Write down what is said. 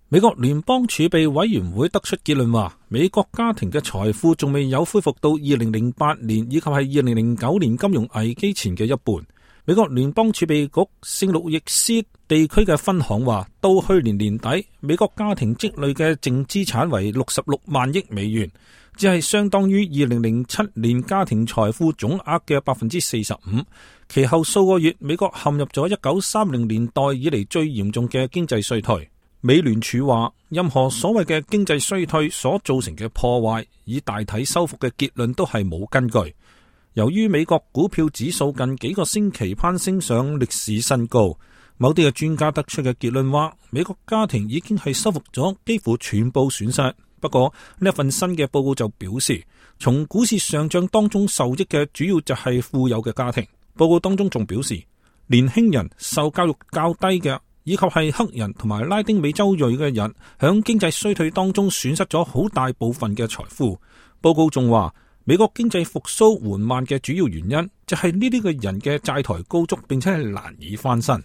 美國聯邦儲備委員會得出結論話，美國家庭嘅財富仲未有恢復到2008年以及係2009年金融危機前嘅一半。美國聯邦儲備局聖路易斯地區嘅分行話，到去年年底，美國家庭積累嘅淨資產為66萬億美元，只係相當於2007年家庭財富總額嘅45%。其後數個月，美國陷入咗1930年代以嚟最嚴重嘅經濟衰退。美聯儲話，任何所謂嘅經濟衰退所造成嘅破壞，以大體修復嘅結論都係冇根據。由於美國股票指數近幾個星期攀升上歷史新高，某啲嘅專家得出嘅結論話，美國家庭已經係修復咗幾乎全部損失。不過呢一份新嘅報告就表示，從股市上漲當中受益嘅主要就係富有嘅家庭。報告當中仲表示，年輕人、受教育較低嘅，以及係黑人同埋拉丁美洲裔嘅人，響經濟衰退當中損失咗好大部分嘅財富。報告仲話，美國經濟復甦緩慢嘅主要原因就係呢啲嘅人嘅債台高築，並且係難以翻身。